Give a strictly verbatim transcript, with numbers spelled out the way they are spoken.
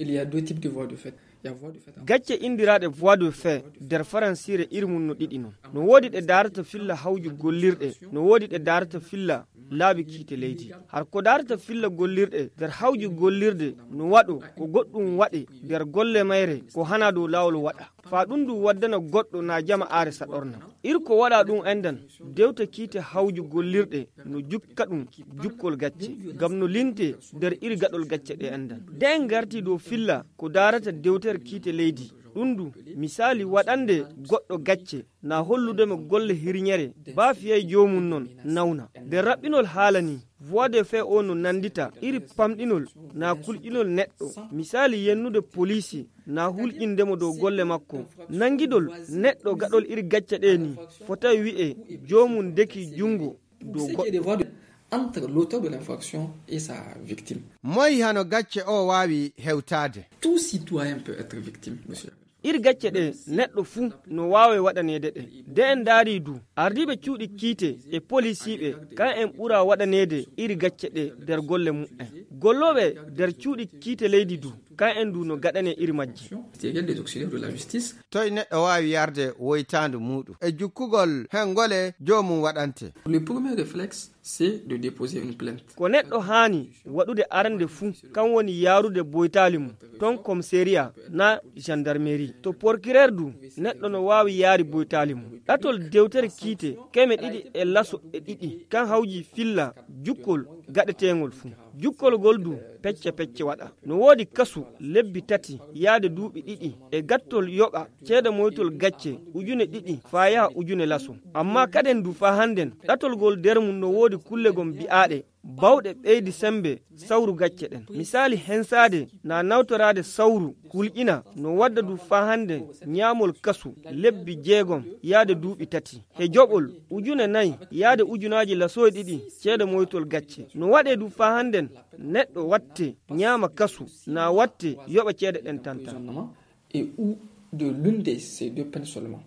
Il y a deux types de voies de fait. Il y a voie de fait en Gacce inndiraaɗe voies de fait nder faransiire iri mum no ɗiɗi non. No woodi ɗe daarata filla hawju gollirɗe, no woodi ɗe daarata filla laabi kiite leydi. Har ko daarata filla gollirɗe nder hawju gollirde no waɗo ko goɗɗum waɗe nder golle mayre ko hana dow laawol waɗa. Faa ɗum ndu waddana goɗɗo na jama aare saɗorna. Ir ko waɗa ɗum endan, dewte kiite hawju gollirɗe no jukka ɗum jukkol gacce, ngam no linte nder iri gaɗol gacce ɗe endan. Nde en ngarti dow filla ko daarata dewtere kiite leydi, ɗum ndu misaali waɗande goɗɗo gacce na hollude mo golle hirñere, baa fiyay joomum non nawna. Nder raɓɓinol haala ni, voie de fait o no nandita iri pamɗinol na kulƴinol neɗɗo, misaali yennude poliisi na hulƴinde mo dow golle makko. Nangidol neɗɗo gaɗol iri gacce ɗe ni fotay wi'e joomum deki junngo dow Ce qui est des goɗɗo. Voies de entre l'auteur de l'infraction et sa victime. Moy hano gacce o waawi hewtaade? Tout citoyen peut être victime, monsieur. Ir gacce ɗe neɗɗo fuu no waawi waɗaneede ɗe. Nde en ndaari du, ardiiɓe cuuɗi kiite e polisiiɓe, kan en ɓura waɗaneede iri gacce ɗe nder golle mumen. Gollooɓe nder cuuɗi kiite leydi du, kan en du no gaɗanee iri majje. Ministériel des auxiliaires de la justice. Toy neɗɗo waawi yarde woytaandu muuɗum? E jukkugol hen ngole joomum waɗante? Le premier réflexe, c'est de déposer une plainte. Ko neɗɗo haani waɗude arande fuu, kan woni yaarude boytaali mum ton komisariya na gendarmerie. To porkireer du, neɗɗo no waawi yaari boytaali mum. Ɗatol dewtere kiite keme ɗiɗi e laso e ɗiɗi, kan hawji filla jukkol gaɗeteengol fuu. Jukkol ngol du pecce pecce waɗa. No woodi kasu lebbi tati yaade duuɓi ɗiɗi e gattol yoɓa ceede moytol gacce ujune ɗiɗi faa yaha ujune laso. Amma kaden du faa hannden, ɗatol ngol nder mum no woodi kulle gom bi'aaɗe bawɗe ɓeydi sembe sawru gacce ɗen. Misaali hensaade na nawtoraade sawru hulƴina no wadda du faa hannden ñaamol kasu lebbi jeegom yaade duuɓi tati. He joɓol ujune nayi yaade ujunaaji laso e ɗiɗi ceede moytol gacce. No waɗee du faa hannden neɗɗo watte ñaama kasu na watte yoɓa ceede ɗen tan tan. Et ou de l'une de ces deux peines seulement.